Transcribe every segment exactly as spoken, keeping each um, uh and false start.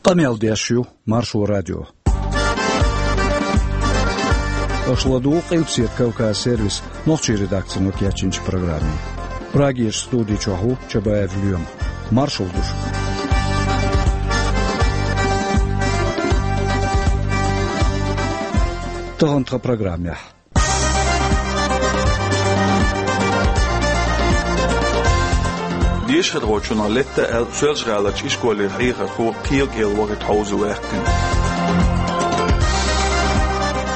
Къамел деш ю Маршо радио. Аша ладугӀу Къилбаседа Кавказ сервисан нохчийн редакцино кечйинчу программе. Прагерчу студи чохь ву Чабаев Лоьма. Маршалла ду шуьга. Тахана тхан программехь. Дешархочунах летта аьлла, Соьлжа-ГӀаларчу ишколера хьехархо кхел кӀел вахийта хьовзо ваьккхина.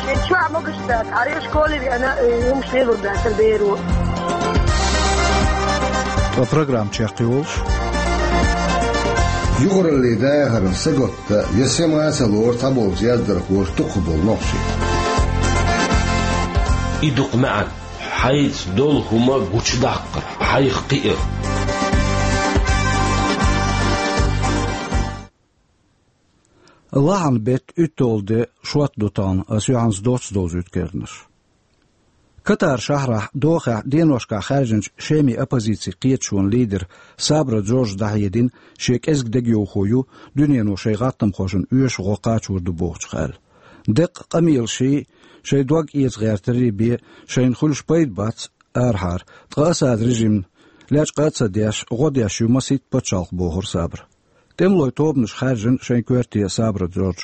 Шен чохь могуш дац, хьара школе веана, э, хӀумаш лелур дац беро. Ткъа программа чекхйолуш. Юхараллин дахаран сагатта я сема а ца лору цхьаболчу яздархоша дукхахболу нохчий. И дукха маьӀна, хьайца долу хӀума гучудаккхар, хьайх кхиар. Лахьан беттан уьтталгӀа де, шот ду тахана, ас юьхьанца доцца довзуьйту керланаш. Катар шахьарахь Дохехь деношкахь хаьржинчу Шеман оппозицин кхеташонан лидера Сабра Джорджа дӀахьедина, шен кӀезиг дегайовхо ю дуьнено шайн гӀаттамхошна оьшуш гӀо кхачор ду бохучух аьлла. Деккъа къамелашший, шайн дог эца гӀертарий бен шайна хуьлуш пайда бац арахьара, ткъа Асадан режимна лечкъа а ца деш, гӀо деш ю масийтта пачхьалкх, бохура Сабра. ТӀемалойн тобанаша хаьржина шайн коьрте Сабра Джордж.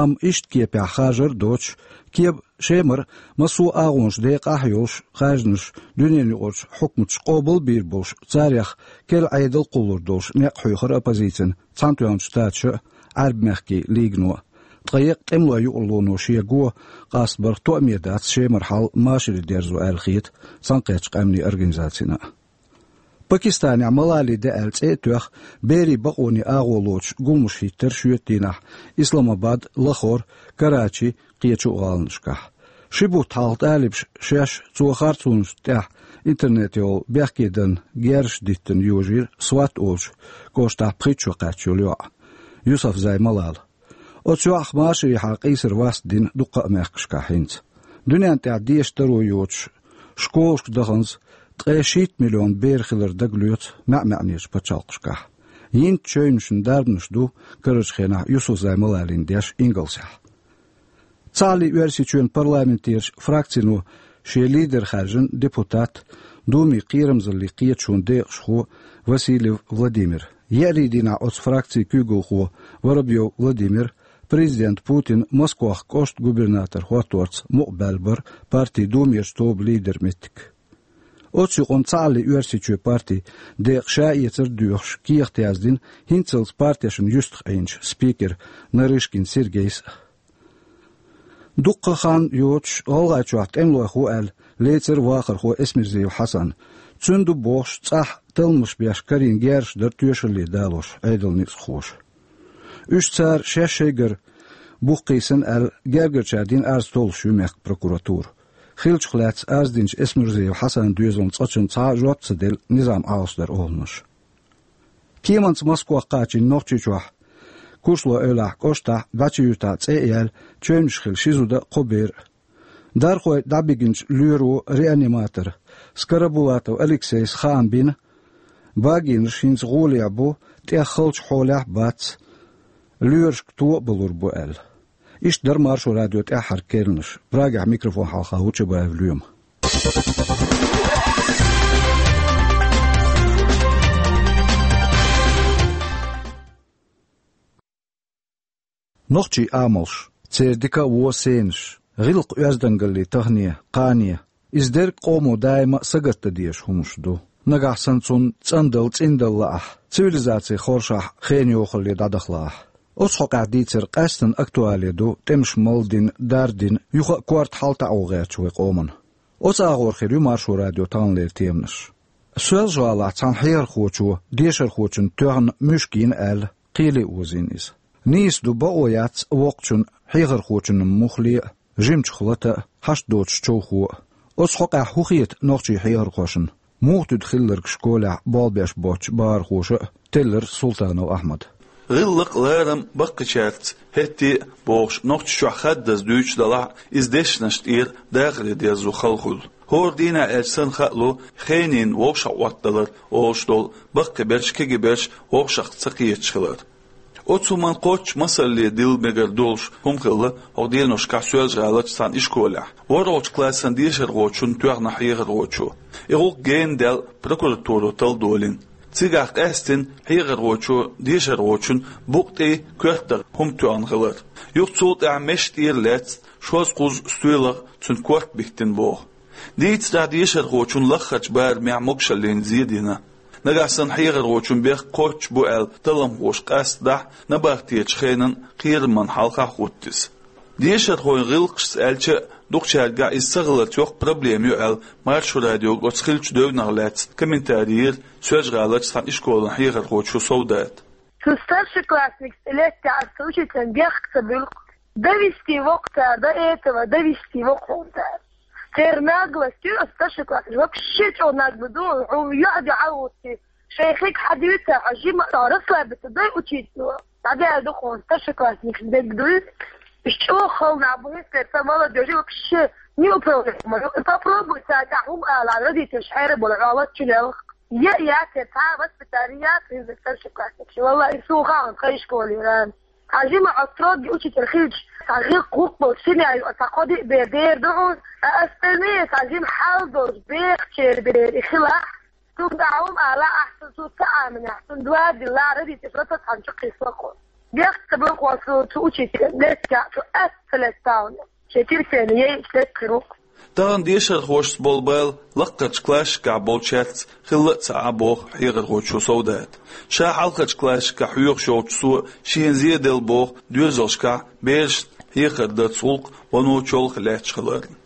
Амма иштта кепехь харжар а доцуш, кеп-, Шемара массо а агӀонаш декъахь а йолуш, хаьржинарш дуьненаюкъарчу хьукматаша къобал а бийр болуш, царех керла Ӏедал кхуллур долуш некъ хьоьхура оппозицина Цхьаьнатоьхначу Штаташа а, Ӏаьрбийн мехкийн лигано а. Ткъа еккъа тӀемалойн юкъарлоно шен го къастабарх тоаме дац Шемара хьал машаре дерзо аьлла хета Цхьаьнакхеттачу Къаьмнийн Организацина а. Пакистанехь Малалин де аьлла цӀе а тоьхна, берийн бакъонийн агӀо лоцуш гуламаш хӀиттира шоьтан дийнахь Исламабад, Лахор, Карачи, кхечу а гӀаланашкахь. Ши бутт хьалха талибаша шаьш цо харцонашна тӀехь интернете йолу бехке данна герзаш диттина йожийра Сват олучу кӀоштахь пхийтта шо кхаьчна йолу йоӀ Юсуфзай Малала. Оцу йоӀах машарехьара къийсар васт дина дуккха а мехкашкахь хӀинца. Дуьненна тӀехь дешан таро йоцуш, школашка даханза ткъе шийтта миллион бер хилар дагалоьцу маьӀ-маьӀнечу пачхьалкхашкахь. Йинчу чевнашна дарбанаш ду карарчу хенахь Юсуфзай Малалина деш Ингалсехь. Цхьааллин Оьрсийчоьнан парламентерчу фракцино шен лидер хаьржина депутат, Думин кхерамзаллин кхеташонан декъашхо Васильев Владимир. Еарин дийнахь оцу фракцин куьйгалхо Воробьев Владимир президента Путина Москвах кӀоштан губернатор хӀотторца мукъа баьлла бара партин Думерчу тобан лидеран меттиг. Оцу юкъанна Цхьааллин Оьрсийчоь партин декъа ша эцар а доьхуш, кехат яздина хӀинццалц партешна юьстах Ӏийначу спикера Нарышкин Сергейс а. Дуккха хан йоцуш ГӀалгӀайчохь тӀемалойх ву аьлла лецира вахархо Эсмирзиев Хьасан. Цуьнан ду бохуш цӀахь талламаш беш карийна герзаш дара тоьшалле далош Ӏедалан ницкъахоша. Уьш цара шаьш шайгара бух кхийсина аьлла, гергарчара дина арз толлуш ю мехкан прокуратура. Хиллачух лаьцна арз динчу Эсмирзиев Хьасанан доьзална цкъачунна цхьа а жоп ца делла, низам Ӏалашдара олуш. Кеманца Москвах кхачийна Нохчийчохь Куршлойн эвлахь кӀоштахь дӀа чу юьтахь цӀе а яьлла, чевнаш хилла ши зуда а, кхо бер а. Дархой дӀабигинчу лоьро, реаниматора Скоробулатов Алексейс хаам бина, багийнаш хӀинца гӀолехь бу, тӀех халчу хьолехь а бац, лоьрашка то а балур бу аьлла. Иштта дара Маршо радион тӀаьххьара керланаш. Прагехь микрофон хьалха ву Чабаев Лоьма. Нохчийн амалш, церан дика а вон сенаш, гӀиллакх-оьздангаллин тахане, кхане, иза дерг къомо даима а сагатдан дезаш хӀуманаш ду. Нагахь санна цунна цӀандала, цӀиндала лаахь, цивилизацин хоршахь хенан йохалле дӀадахалахь. Оцу хьокъехь дийцар къаьсттина актуале ду тӀемаш малдина, дардина, юха а корта хьалтаӀо гӀертачу вайн къоман. Оцу агӀор хир ю Маршо радион таханлера теманаш. Соьлжа-ГӀалахь цхьана хьехархочо дешархочунна тоьхна муьшка йина аьлла, кхеле а озийна иза. Нийса ду, бакъо яц воккхачунна хьехархочунна муххале а, жимачух лата а, хьашт доцуш човхо а. Оцу хьокъехь хӀун хета нохчийн хьехархошна? Муха туьду хилларг школехь болх беш боцчу бахархоша а, теллира Султанов Ахьмада. ГӀиллакх а, ларам а баккхийчаьрца хӀетте а бохуш, Нохчийчохь хаддаза дуьйцуш далахь а, иза дешнаш тӀера дахаре дерзо хала хуьлу. ХӀора дийнахь аьлча санна хаало хенийн вовшахъоттадалар олуш долу баккхийберш, кегийберш вовшах ца кхеташ хилар. Оцу хӀуманна кхоччуш масалле дилла мегар долуш хӀума хилла хӀокху деношкахь Соьлжа-ГӀаларчу цхьана ишколехь. ВорхӀалгӀачу классан дешархочунна тоьхна хьехархочо. И гӀуллакх гена даьлла прокуратуро талла долийна. Цигахь къаьстина хьехархочо дешархочунна букъа тӀе коьртара хӀума тоьхна хилар. Юха цул тӀаьхьа месаш тӀера лаьцна шозза кхузза стоьлах цуьнан корта биттина боху. Дийцарехь, дешархочунна лаххарчу барамехь могушаллина зен дина. Нагахь санна хьехархочун бехк кхоччуш бу аьлла талламхоша къастадахь, набахтечу хенан кхерамна хьалха а хӀутту иза. Дешархойн гӀиллакхашца аьлча а, дукхачаьргахь иза ца хиларца йоккха проблема ю аьлла, Маршо радиога оцу хиллачу девнах лаьцна комментари йира Соьлжа-ГӀаларчу цхьана ишколан хьехархочо Совдата. Цу старшеклассникца летта аьлла цу учителан бехк ца буьллу. Довести воккху цара до этого, довести воккху цара. Церан наглость ю, оцу старшеклассникаш вообще чӀогӀа нагло ду, хьуна юьхь-дуьхьал гӀуттий. Шайн хиг хьан дуьйцу, хьо жима расслабиться дай учитель. ДӀадаьлла ду хьуна старшеклассникаш дерг дуй. Уьш чӀогӀа хала нах бу, хӀинца ца молодежь вообще не управляемая. Попробуй царна тӀехь хӀума ала, родителаш хьера болу, хьо лаччу лелха. Я, я, те, цхьа воспитание яц, хӀинца старшеклассникаш. Валлахи, и суна хаьа тхан ишколера. Хьан жима хьо строгий учитель хилча, цхьа гӀиллакх-гӀуллакх болчу семья ю, цхьа кхо-диъ бер дера ду хьуна, а остальные цхьа жима хьал долчу бехачеран бер и хилахь, цунна тӀехь хӀума ала ахь, цунна цу ца Ӏаминехь, цунна дуа диллахь, родителаш лата цхьаьна чу кхиссало кхо. Бехк ца буьллу хьуна цу, цу учителан, летта, цу атта ца летта хьуна. Шен терпение яйча летта хир ву-кх. Тахана дешархошца болу бала лаккхарчу классашкахь болчаьрца хилла а ца Ӏа, боху хьехархочо Совдата. Ша хьалхарчу классашкахь хьоьхуш йолчу цо шена зен делла боху доьзалшкахь берашна хьехар дарца гӀуллакх вано чолхе лаьтташ хиларна.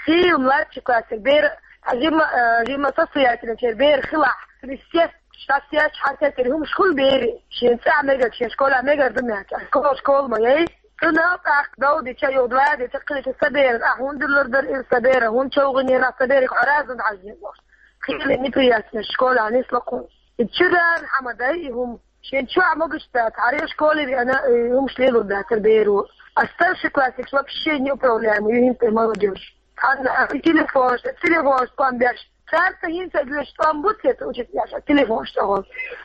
Хийла младший классера бер, а, жима, а, жима состоятельный бер хилахь, естественно, шаьш еш хьан тера хӀумаш хуьлу берийн, шен цӀахь мегар, шен школехь мегар ду меттиг, школа, школа ма яй. Цунах тӀаккха дов дича, юха два дича, кхидича сан берана ахь хӀунда диллар дара иза, сан бер хӀунда човхийнера, сан берега хьо раза хӀунда хьаьжжина бохуш. Хийла неприятность школехь нисло кхунна. И чуьра хьан ма дай и хӀума. Шен чохь могуш дац, хьаре школе веана, и хӀумаш лелур дацара беро. А старший классникаш вообще неуправляемый ю хӀинца тӀе молодежь. Цхьанна а телефонаш, телефонаш тӀом беш. Цара ца хӀинца а гоьш тӀом бу те ца учить еш, а телефонаш тӀехула.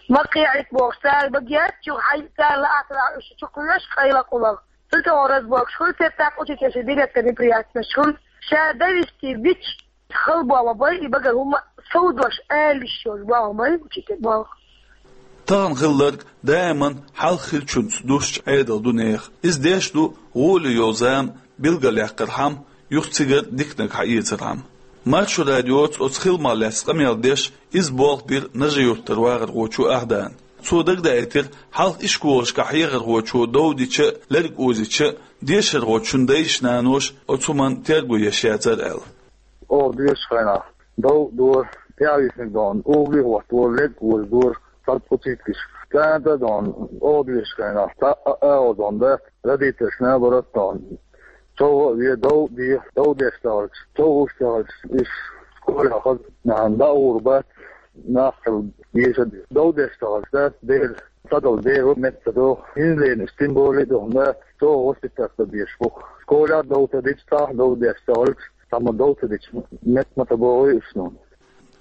Ма кхехьийта бохуш, цара багеа чу хьай, цара лаахь, цара уьш чу кхоьш къайла къулах. Цу тӀехула разборкаш хуьлу, церан тӀаккха учить еш билетка неприятносташ хуьлу. Ша довести бича, хала боху ма бай, и багара хӀума сов дош ала йиш йолуш боху ма бай, учитель боху. Тахана хилларг даиман хьалха хиллачуьнца дузучу Ӏедал ду нехан. Иза деш ду гӀоле йолу зама билгалъяккхархьама, юха цигара диканиг хьаэцархьама. Маршо радиоца оцу хиламах лаьцна къамел деш, иза болх бира Нажи-Юьртара вахархочо Ахьдана. Цо дагадаийтира, хьалха ишколашкахь хьехархочо дов дича а, лерг озийча а, дешархочун дайша-наноша оцу хӀуманна терго еш яцара аьлла. Оха доьшучу хенахь дов дора, тӀаьхьависинарг дона, угӀале а хӀоттадора, лерг озадора, цхьа пхуьцийтгаш. ЦӀена а дона, оха доьшучу хенахь цхьа а агӀо дона дац, родительш наоборот дона. ЧовгӀа а ве, дов де, дов деш ца хилча, чов луш ца хилча, уьш школе хаза, нахана дӀа а гӀур бац, нах хила дезаш а деза. Дов деш ца хилча, дац, дера, ца долу дера метта ца доху. ХӀинца лерина уьш тем более а доху, да, чӀогӀа воспитать дан безаш бу-кх. Школехь а дов ца дича, цхьа а дов деш ца хилча, цхьамма дов ца дича, метта ма ца богӀий уьш суна.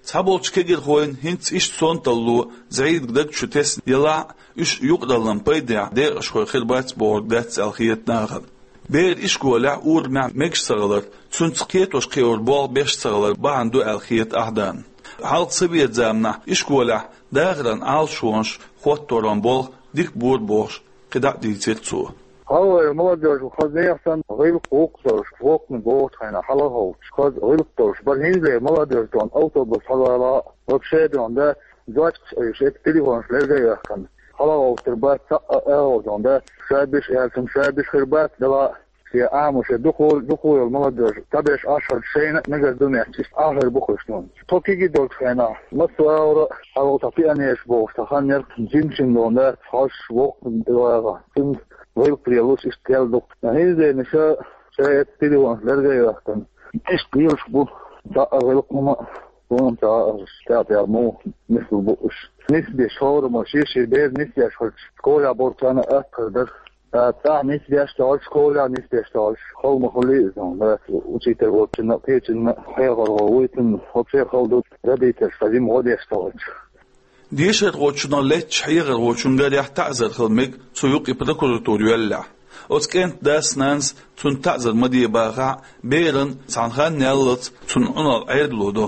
Цхьаболчу кегирхойн хӀинца иштта сонталло ЗӀийдага даг чу тесна елахь а, уьш юкъараллин пайдехь декъашхой хир бац бохург дац аьлла хета нахана. Бер ишколехь, урамехь мегаш ца хилар, цуьнца кхетош-кхиор болх беш ца хилар бахьана ду аьлла хета Ахьдана. Хьалха совет заманахь ишколехь дахаран Ӏалашонаш хӀотторан болх дика бора бохуш, кхидӀа а дийцира цо. Хьалхалера молодёжь хаза нехан санна гӀиллакх-гӀуллакх долуш, воккханиг вогӀучу хенахь хьалхаховтуш, хаза гӀиллакх долуш бара. ХӀинцалера молодёжь дона автобус хьалаала, вообще дона, да, зочкаш айша, эцу телефонаш лерга а йоьхкина. ХьалхагӀовттар бац цхьа а агӀо дона, да, шабиш аьлча, шабиш хир бац, дала, шен Ӏамо, шен дукха, дукха йолу молодёжь, цхьаберш Ӏаш хилча, шайна а мегар ду моьттуш, иштта Ӏа хир бу-кх уьш нуна. Тхо кегий долчу хенахь, массо а агӀора, хьалха цхьа пионераш бохуш, цхьа хан яра, жимачун дона, да, хьожуш, воккханиг дала. Цуьнца гӀиллакх лелош иштта ял ду-кх. ХӀинца дена ша, ша эцу телефонаш лерга а йоьхкина. Иштта лелаш бу, цхьа а гӀиллакх хӀума а, хӀума а ца хаьара, тӀаьхьа-тӀаьхьа муха нислур бу уьш. Нисбеш хӀораммо шен-шен бер нисъеш хилча, школехь болчарна а атта хир дара. ТӀаккха нисбеш ца хилча, школехь нисбеш ца хилча, хала ма хуьлий иза, да, учитель волчунна а, кхечунна а, хьехархо вуй цунна, вообще хала ду, родительш цхьа жима гӀо деш ца хилча. Дешархочунах леттачу хьехархочун гарехь таӀзар хила мега цу юкъе прокуратура йоьллехь. Оцу кӀентан дас-нанас цунна таӀзар ма де бахахь а, беран цхьана ханна яллалц цунна Ӏуналла Ӏедало до.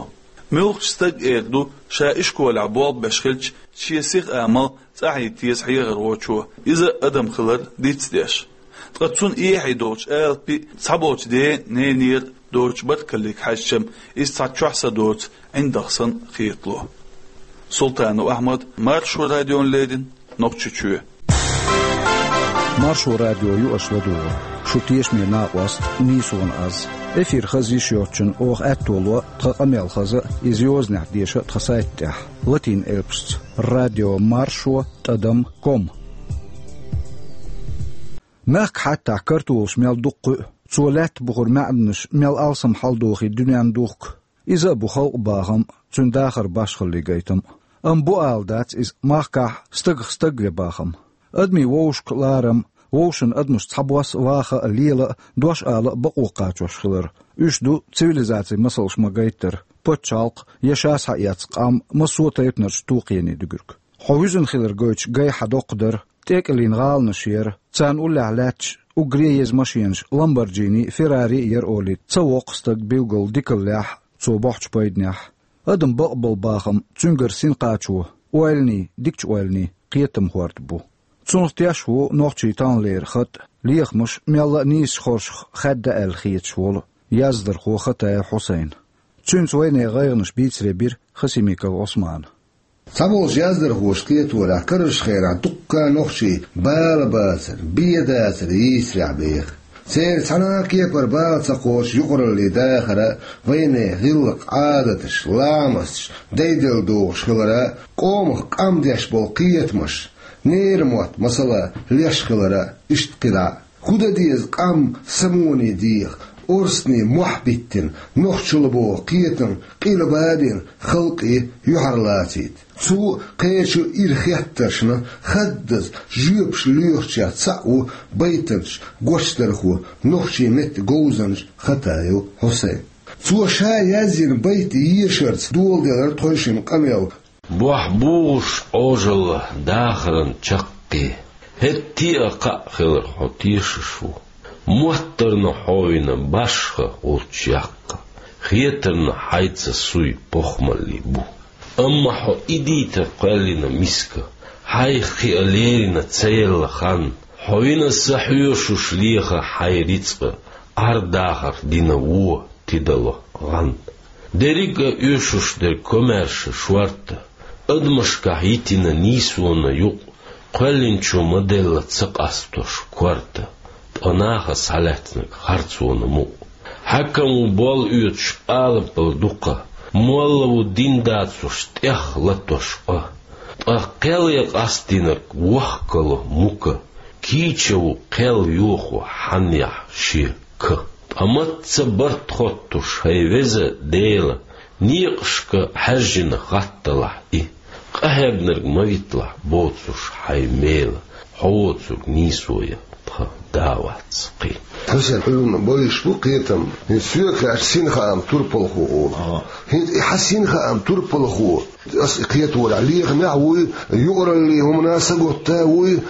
Муьлххачу стага эр ду, ша ишколехь болх беш хилча, шен сиха амал цӀахь йитта еза хьехархочо, иза адам хилар дицдеш. Ткъа цунна эхье долчу алапи, цхьаболчу ден-ненера доцучу баркаллига хьаьжча-м, иза цхьа чохь са доцу ӀиндагӀ санна хетало. Султанов Ахьмад, Маршо радиона леррина, Нохчийчоь. Маршо радио ю аша ладугӀург. Шу тешаме накъост, нийсонан аз. Эфир хаза йиш йоцчунна оха аьтто ло тхан къамел хаза а, иза йозанехь деша а тхан сайта тӀехь, латин элпашца: радио маршо тӀадам ком. Мехкан хьаттахь картолаш мел дукха кхуьу, цо лаьтта бухара маьӀданаш мел алсам хьаладохий дуьненна духку. Иза а бу халкъан бахам, цуьнан дахар башхаллин гайтам. Амма бу ала дац иза махкахь стагах стаг вен бахам. Адамийн вовшашка ларам, вовшашна адамаш цхьабосса а, ваха а, лела а, дош ала а бакъо кхачош хилар. Уьш ду цивилизацин масалш ма-гайттара, пачхьалкх я ша схьаэцна къам массо а тайпанарчу тохкене дуьгург. Хьо вуьзна хилар гойтуш гай хьан доккха дара, тӀекӀеллина гӀаланаш яра, царна уллехь лаьтташ уггаре а еза машенаш, Ламборджини, Феррари а яра олий, ца воккху стаг билггал дикаллехь, цо бохьучу пайданехь. Адам бакъбала бахам, цуьнгара синкхачо, ойланийн, дикачу ойланийн кхетам хӀорд бу. Цунах теш ву нохчийн тахналера хатӀ, лехамаш мелла а нийсачу хоршах хаьдда аьлла хеташ волу яздархо Хатаев Хьусайн. Цуьнца вайнехан гӀайгӀанаш бийцаре бира Хасимиков Ӏусмана. Цхьаболчу яздархоша кхеторехь, карарчу хенахь дуккха а нохчий бала бацара, бен дацара йийсарехь беха. Церан цхьана а кепара бала ца кхочу юкъараллин дахар а, вайнехан гӀиллакх, Ӏадаташ, ламасташ дайделла догӀуш хилар а, къомах къам деш болу кхетамаш, ненан мотт, масала, леш хилар а, иштта кхидӀа а. ХӀун дан деза къам самоне деха, орцане мохь биттина, нохчалла боху кхетам къилба а бина, халкъе юьхьарлацийта? Цу а, кхечу а ира хеттаршна хаддаза жоьпаш лоьхучех цхьаъ ву байтанча гочдархо, нохчийн меттан говзанча Хатаев Хьусайн. Цо ша язйина байт ешарца доладелира тхойшинна къамел. Бохь бугӀуш Ӏожалла дахаран чаккхе, хӀетте а кхаъ хилар хьо тешаш ву. Моттарна хьо вина башха волчу яккха, хетарна хьайца суй похмалли бу. Амма хьо и дийта кхоьллина миска, хьайх кхиа лерина ца елла хан, хьо вина са хьоьшуш леха хьайн рицкъа, Ӏар-дахар дина вон тидало гӀан. Дерриг а оьшуш дерг комаьрша шорта, адамашкахь йитина нийсонан юкъ, кхоьллинчо ма-делла ца къастош корта, ткъа наха схьалаьцнарг харцонан мукъ. Хьаькам ву болла оьцуш алапал дукха, молла ву дин дацуш тӀех латош къа. Ткъа кхел я къастийнарг вохкало мука, кийча ву кхел йохо хьанъяхь шен ка. Ткъа мацца барт хоттуш, хӀай веза Дела, некъашка хьаьжжина хатталахь и, къахьегнарг ма витлахь боцуш хьайн мела, хьо воцург нийсо я, тхан да вац кхин. Хьусен, хьуна бойуш бу кхетам, хӀинца соьга хаьттича, син хаам турпалхо олу. Ага. ХӀинца и хьан син хаам турпалхо, ас и кхеторехь лехамехь а вуй, юкъараллин хӀуманна сагатта а вуй,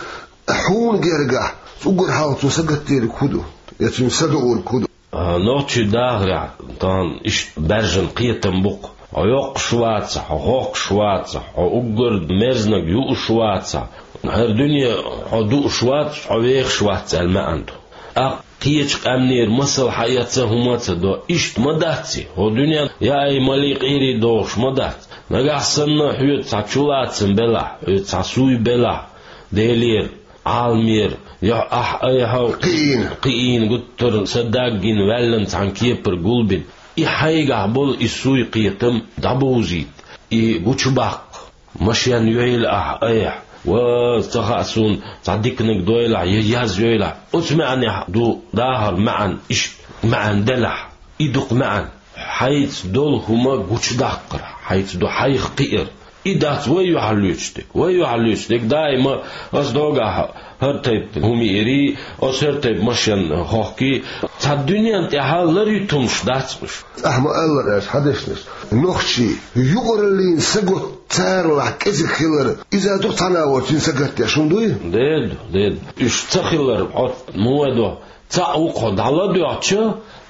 хьуна гергахь уггар хьалха цо сагатдерг хӀун ду? Я цуьнан са доург хӀун ду? А, нохчийн дахарехь тахана иштта баьржина кхетам бу-кх: хьо йоккхуш вацахь, хьо хохкуш вацахь, хьо уггар мерзаниг юуш вацахь, хӀара дуьне хьо дууш вац, хьо вехаш вац аьлла маьӀна ду. ТӀаккха кхечу къаьмнера масал хьаэца хӀума а ца до, иштта ма дац и, хӀокху дуьненна яа-майраллий къийрий догӀуш ма дац. Нагахь санна хьоьца цхьа чулацам белахь, хьоьца цхьа суй белахь, Делера, Ӏаламера, я ахь айхьа кхиийна, кхиийна гуттар а са даг гина ваьллина цхьана кепара гулбина. И хьайгахь болу и суй-кхетам дӀабовзийта, и гучубаккха, машен йойла ахь айхьа, ва ца хаьа суна, цхьа диканиг дойлахь, я яз йойлахь. Оцу маьӀнехь ду дахар маьӀна, иштта маьӀна делахь, и дукха маьӀна. Хьайца долу хӀума гучудаккхар, хьайца ду хьайх кхиар. И дац вай юхьарлоьцуш дерг. Вай юхьарлоьцуш дерг даима ас догахь хӀара тайпа хӀума йиирий, ас хӀара тайпа машен хохкий. Цхьа дуьнен тӀехь ларъюьйтумаш дац уьш. Ахьа ма-аллара аьлча хьан дешнаш. Нохчий юкъараллин сагот царалахь кӀезиг хилар, иза ду цхьана а воцун сагатдеш хӀума дуй? Деда, деда. Уьш ца хилар, хьо муха до? Цхьаъ ву-кх хьо дӀаладоьгӀча,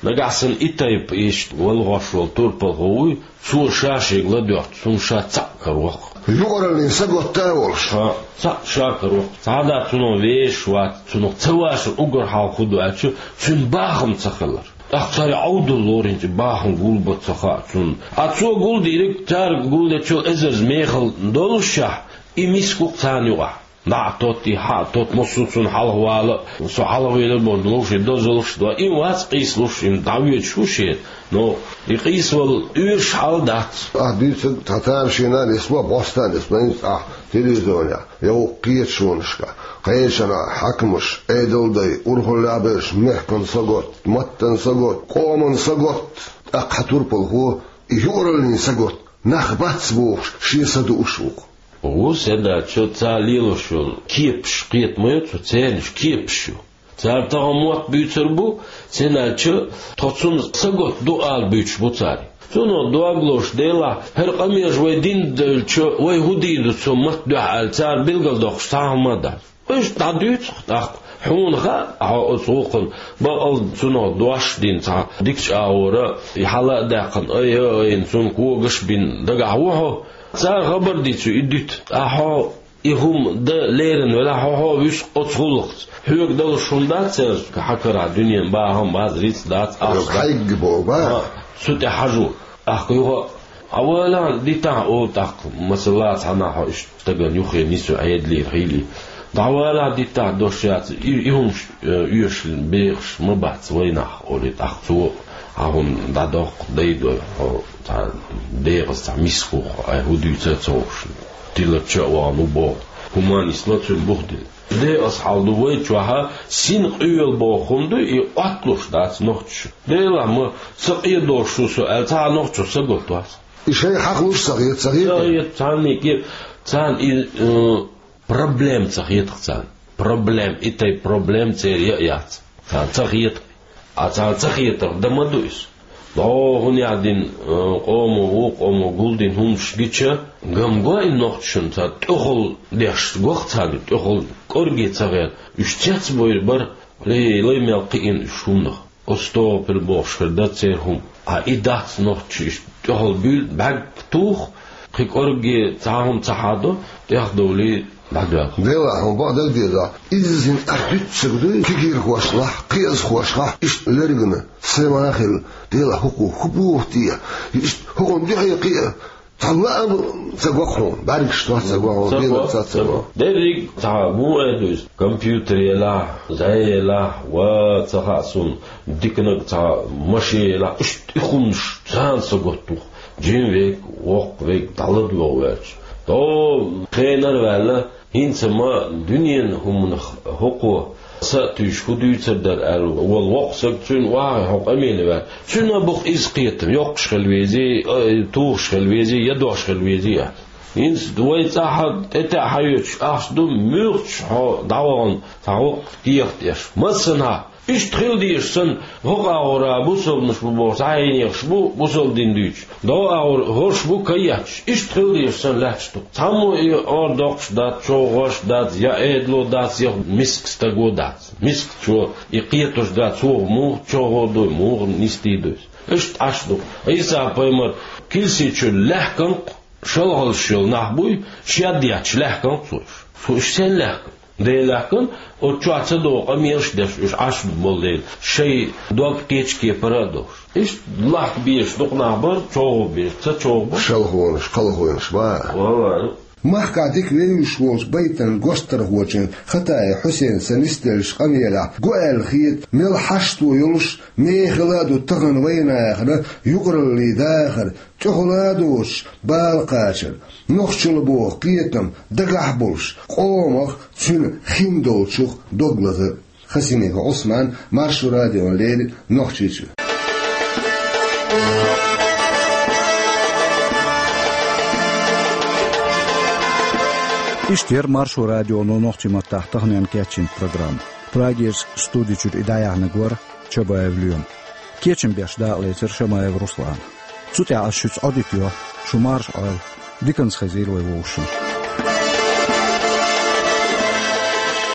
нагахь санна и тайпа иштта валгӀош волу турпалхо вуй, цо ша шега ладоьгӀча, цунна ша цхьаъ караваккха. Юкъараллин саготта а волуш. Ха, цхьаъ ша караваккха. Цхьа а дац цунах вешаш вац, цунах ца вашар уггар хьалха хӀун ду аьлча, цуьнан бахам ца хилар. ТӀаккха цара Ӏовдал лоринчу бахам гулбан ца хаьа цунна. Ткъа цо гулдийриг, цара гулдечул эзарза мехала доллушехь, и миска ву-кх царна юкъахь. ДӀа а тотта, и хьа а тотта, массо а цунна хьалхавала, со хьалхавелар бохуш, вовшийн дозаллаш а до, и вац къийсалуш, и дӀавоьдуш ву шена. Но и къийсавала оьшуш хьал дац. Ахь дуьйцург цхьа тамашийна а нисло, бӀостанехь а нисло, хӀинца ахь телевизионехь, я вукху кхеташонашкахь, кхечанхьа хьаькамаш, Ӏедалан дай, урхаллехь берш, мехкан сагот, маттан сагот, къоман сагот, тӀаккха хьан турпалхо и юкъараллин сагот, нах бац бохуш, шен са дууш ву-кх. Ву, сенна аьлча, цара лелош йолу кепаш кхета ма ю цо, церан уьш кепаш ю. Цара тахана мотт буьйцур бу, сенна аьлча, тхо цунна сагот ду ала буьйцуш бу цара. Цунах дог лозуш, делахь, хӀара къамелаш вай дина девлча, вай хӀун дийр ду цу матта дуьхьа аьлла, цара билгалдоккхуш цхьа а хӀума а дац. Иштта дӀадуьйцу-кх тӀаккха. Хьуна хаьа, хьо оцу гӀуллакхна бакъал цунах дош а дина цхьа дикачу агӀора, и хьала а даьккхина, ай, ай, айина цунна когаш а бина дагахь ву хьо. Цара хабар дийцича и дуьту. Ткъа хьо и хӀума дан лерина велахь, хьо, хьо вуьсу оцу гӀуллакхца. Хьоьга далуш хӀума дац церан, хьан карахь дуьненан бахам бац, рицкъ дац, ахча дац. Хьайга боху, ба? Ха, цу тӀе хьажо. ТӀаккха юха а, дӀавалахь, дитахь, олу тӀаккха, масала, цхьанхьа хьо иштта стагана юххе нисве Ӏедалера хилий. ДӀавалахь, дитахь, дош яц, и, и хӀумаш, э, оьшуш бехаш ма бац вайнах, олий тӀаккха цо, хьан хӀума дӀадоккху, дайдо хьо цхьа дегӀаза цхьа миска ву-кх, ай хӀун дуьйцу а ца хууш. Тиларча а вахана ву боху. ХӀуманна исло цуьнан бух дина. Декъаза хьал ду вай чохь, син къоьлла боху хӀума ду, и Ӏотталуш дац нохчаша. Делахь ма, ца къедолуш ву со аьлла, цхьа а нохчо сагот вац. И шайн хьакъ луш ца хета, ца хета? Ца хета, царна и ке-, царна и, э, проблема ца хета-кх царна. Проблема, и тайпа проблема церан я а яц. Царна ца хета. Ткъа царна ца хетарх дан ма ду иза. ДӀо хӀун яздина, э, къомо ву, къомо гулдина хӀуманаш гича, ган го и нохчашна, царна тӀехула деш го-кх царна, тӀехула кӀорге ца гӀерта. Уьш цецбевр бара, лай, лай мел кхиъна уьш хӀуманах. Оцу стогӀа пил бохуш хир дара церан хӀума. Ткъа и дац нохчаша иштта тӀехула буьйлу, бӀаьрг туху, кхин кӀорге цхьа хӀума ца хьадо, тӀехдовлий дӀадоьлху. Делахь, хьуна бакъ дагадезахь, иззина ахь дуьтцург дуй, кегийрхошлахь, кхиазхошлахь, иштта лергана, сема а хилла, делахь, хӀокхо хӀун боху те, иштта хӀокхунна дуьхье кхиа, цхьа лаам ца го-кх хьуна, бӀаьргаш тох ца го хьуна, ца го, дела ца, ца ца го. Го. Дерриг цхьа муха эр ду иза, компьютер елахь, зӀе елахь, ва ца хаьа суна, диканиг цхьа машен елахь, иштта и хӀуманаш царна сагот ву-кх, жима верг, воккха верг дӀаладогӀа ваьлча. ДӀо хенара а ваьлла, хӀинца ма дуьненан хӀуманах хӀокхо са а туьйсуш хӀун дуьйцур дара аьлла волу воккха саг, цуьнан охьа хьо къамеле ваьлча, цуьнан а бу-кх иза кхетам, йоккхуш хила везий, а, тухуш хила везий, я дош хила везий аьлла. ХӀинца вай цӀахь тӀетаьӀа хьаоьцуш ахча ду, муьлххачу хьо дӀавахана цхьа воккха кехат эш. Массанхьа иштта хила дезаш санна, хӀокху агӀора бусалбанаш бу бохуш, цхьа хьенехаш бу бусалба дин дуьйцуш. ДӀо агӀор хӀорш бу каетташ. Иштта хила дезаш санна лаьтташ ду-кх. Цхьаммо и ор доккхуш дац, чӀогӀа гӀош дац, я Ӏедало дац, я миска стаго дац. Мискачо и кхеташ дац, цо муха чӀогӀа ду, муха нисдийр ду иза. Иштта Ӏаш ду-кх. Ӏийса-пайхамар килси чуьра лаьхкина-кх шалхаллаш йолу нах буй, шед етташ лаьхкина-кх цо уьш. Цо уьш сен лаьхкина? Дела лаьхкина, оцу чохь ца догӀу къамелаш деш уьш Ӏаш болу дела, шайн дог кхечу кепара а долуш. Иштта лахка безаш дукха нах бара, чӀогӀа безаш, ца чӀогӀа бара. Шалхонаш, кхалхонаш бара. Валлахьи. Махкахь дика вевзаш волчу байтан гочдархочун Хатаев Хьусейнан са нисделлачу къамелехь го аьлла хета, мел хьашто йолуш, мехала а ду тахана вайнахана юкъараллин дахар, тӀехула а доцуш, бала кхачар, нохчалла боху кхетам дагахь а болуш, къомах, цуьнан хин долчух дог лазар. Хасимиков Ӏусман, Маршо радиона леррина, Нохчийчоь. Иштта яра Маршо радионо нохчийн маттахь таханенна кечйинчу программа. Прагерчу студи чуьра и дӀаяьхьнарг вара Чабаев Лоьма. Кечам беш дакъалецира Шамаев Руслана. Цу тӀехь ас шуьца Ӏодитайо, шу марша Ӏойла, диканца хезийла вай вовшашна.